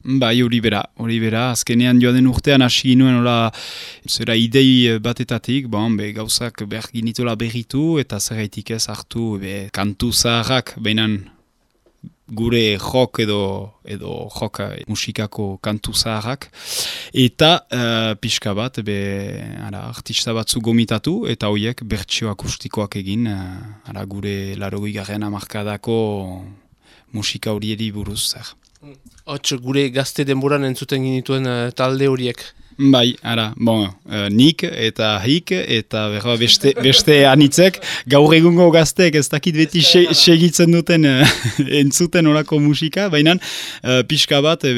Bai, hori bera, azkenean joan den urtean hasi ginuen zera idei batetatik, gauzak behar ginitola berritu eta zergaitik ez hartu kantu zaharrak, bainan gure jok edo jok musikako kantu zaharrak, eta pixka bat, artista batzu gomitatu, eta horiek bertsio akustikoak egin, gure 80. hamarkadako musika horieri buruz zer. Hots, gure gazte denboran entzuten ginituen talde horiek. Bai, nik eta hik eta beste anitzek, gaur egungo gazteek ez dakit beti segitzen duten entzuten orako musika, baina pixka bat,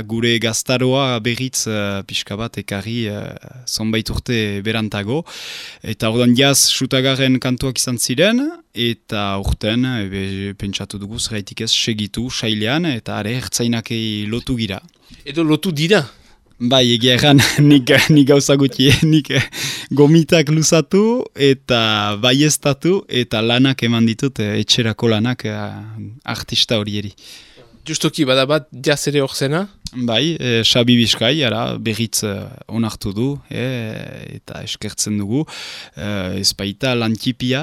gure gaztaroa berriz pixka bat ekarri zonbait urte berantago, eta ordan jaz sutagarren kantuak izan ziren, eta urten pentsatu dugu zeraitik ez segitu sailean, eta ertzainakei lotu gira. Edo lotu dira? Bai, egia erran, nik gauza guti, nik gomitak luzatu eta baiestatu eta lanak eman ditut, etxerako lanak artista horieri. Justoki, bada bat, jaz ere hor zena? Bai, Xabi Bizkai, berriz onartu du, eta eskertzen dugu. Ez baita lantipia,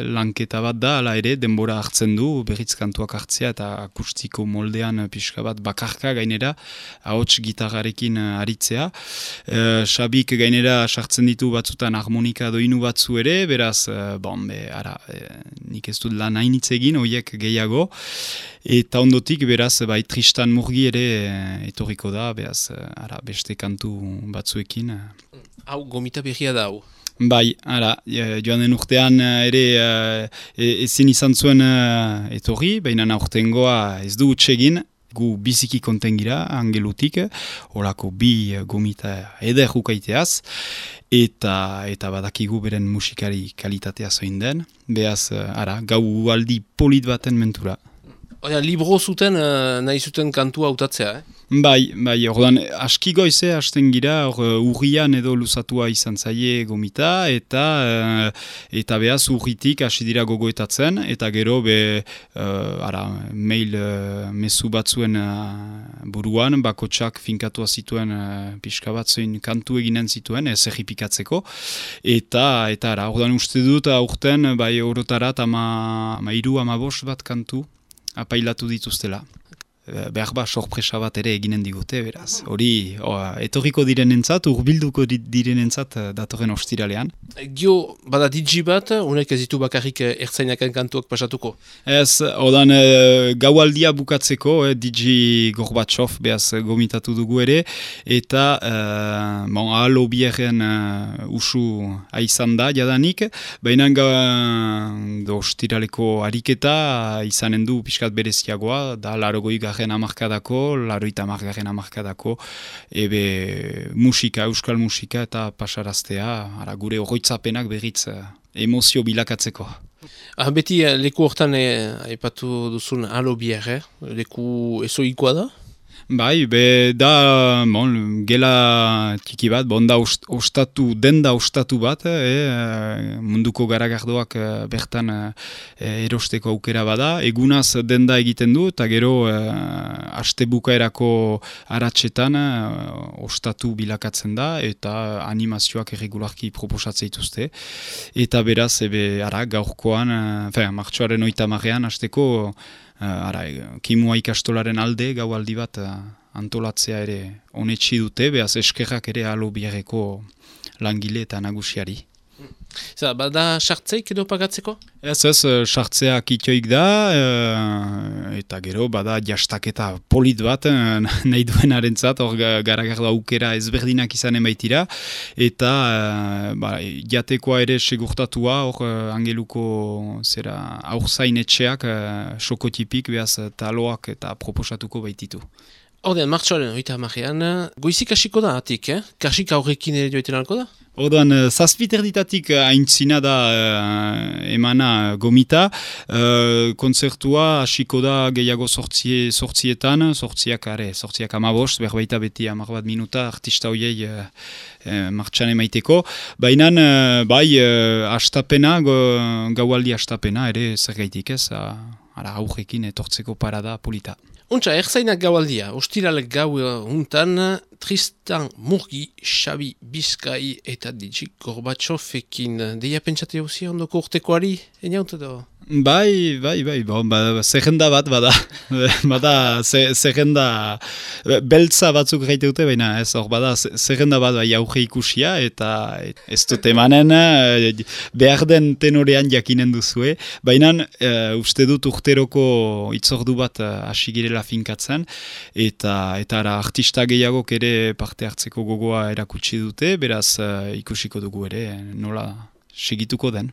lanketa bat da, ala ere, denbora hartzen du, berriz kantuak hartzea, eta akustiko moldean pixka bat bakarka gainera, ahots gitarrarekin aritzea. Xabik gainera sartzen ditu batzutan harmonika doinu batzu ere, beraz, nik ez dut lan hainitz egin, horiek gehiago, eta ondotik, beraz, Tristan Murgi ere etorriko da, beraz, beste kantu batzuekin. Hau, gomita berria da, hau? Bai, joan den urtean ere ezin izan zuen etorri, baina aurtengoa ez du utsegin, gu biziki konten gira, Angelutik, horako bi gomita eder ukaiteaz, eta badakigu beren musikari kalitatea zoin den, beraz, gau aldi polit baten mentura. Libro zuten, nahi zuten kantua hautatzea, Bai, ordan aski goize hasten gira, urrian edo luzatua izan zaie gomita, eta behaz urritik hasi dira gogoetatzen, eta gero mail mezu batzuen buruan, bakotsak finkatua zituen pixka batzuin kantu eginen zituen, ez erripikatzeko, eta ordan uste dut aurten, orotarat 13-15 bat kantu apailatu dituztela. Behar sorpresa bat ere eginen digute, beraz. Hori, etorriko direnentzat, urbilduko direnentzat datorren ostiralean. Gio, bada DJ bat, unek ez ditu bakarrik ertzainaken kantuak pasatuko? Ez, odan gaualdia bukatzeko, DJ Gorbatsov, behaz gomitatu dugu ere, eta ahal obierren usu aizan da, jadanik, baina ostiraleko ariketa izanen du pixkat bereziagoa, da 80. hamarkadako, 80. hamarkadako, musika, euskal musika eta pasaraztea, gure oroitzapenak berriz emozio bilakatzeko. Beti leku hortan aipatu duzun Alobier, leku ezoikoa da? Bai, da gela tiki bat, denda ostatu bat, munduko garagardoak bertan erosteko aukera bada, egunaz denda egiten du, eta gero astebukaerako aratsetan ostatu bilakatzen da, eta animazioak erregularki proposatzen dituzte, eta beraz, gaurkoan, martxoaren 30-ean, asteko, kimua ikastolaren alde gaualdi bat antolatzea ere onetsi dute, behaz eskerrak ere Alobierreko langile eta nagusiari. Bada sartzeik edo pagatzeko? Ez, sartzea kitioik da, eta gero bada jastaketa polit bat nahi duenarentzat, hor garagardo aukera ezberdinak izanen baitira, eta jatekoa ere segurtatua, hor Angeluko aurzain etxeak sokotipik, behaz taloak eta proposatuko baititu. Hordean, martxoaren 30-ean, goizik hasiko da atik, kasik aurrekin ere joiten alko da? Ordan, zazpiterditatik aintzina da emana gomita, kontzertua hasiko da gehiago sortzietan, sortziak 15, berbaita beti 10 minuta artista hoiei martxan emaiteko, baina astapena, gaualdi astapena ere zer gaitik ez, aurrekin etortzeko parada polita. Untsa, erzainak gaualdia, ostiralek gau untan, Tristan Murgi, Xabi Bizkai eta Digi Gorbatxofekin. Deia pentsate hauzia ondoko urtekoari, eniaut edo? Bai, bon, zerrenda bat bada, bada zerrenda beltza batzuk gaiteute, baina ez hor bada zerrenda bat bai auge ikusia eta ez dut emanen behar den tenorean jakinen duzue, baina uste dut urteroko itzordu bat hasi girela finkatzen eta ara artista gehiagok ere parte hartzeko gogoa erakutsi dute, beraz ikusiko dugu ere nola segituko den.